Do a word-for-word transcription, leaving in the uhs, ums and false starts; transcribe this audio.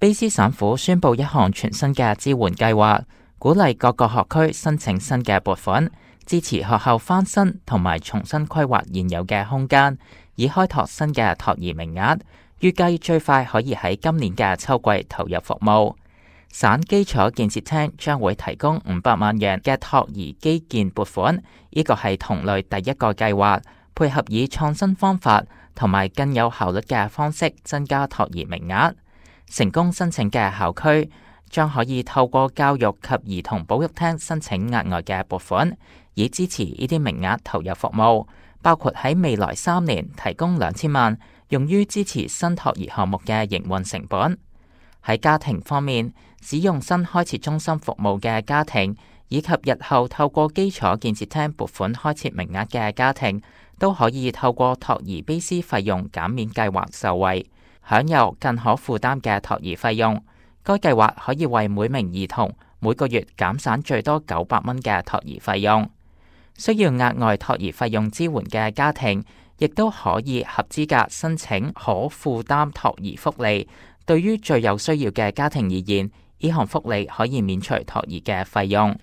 卑詩省府宣布一項全新嘅支援計劃，鼓勵各個學區申請新嘅撥款，支持學校翻新同埋重新規劃現有嘅空間，以開拓新嘅托兒名額。預計最快可以喺今年嘅秋季投入服務。省基礎建設廳將會提供五百萬元嘅托兒基建撥款，呢個係同類第一個計劃，配合以創新方法同埋更有效率嘅方式增加托兒名額。成功申請嘅校區將可以透過教育及兒童保育廳申請額外嘅撥款，以支持呢啲名額投入服務，包括喺未來三年提供兩千萬，用於支持新托兒項目嘅營運成本。喺家庭方面，使用新開設中心服務嘅家庭，以及日後透過基礎建設廳撥款開設名額嘅家庭，都可以透過托兒卑詩費用減免計劃受惠，享有更可負擔嘅托兒費用。該計劃可以為每名兒童每個月減省最多九百蚊嘅托兒費用。需要額外托兒費用支援嘅家庭，亦都可以合資格申請可負擔托兒福利。對於最有需要嘅家庭而言，呢項福利可以免除托兒嘅費用。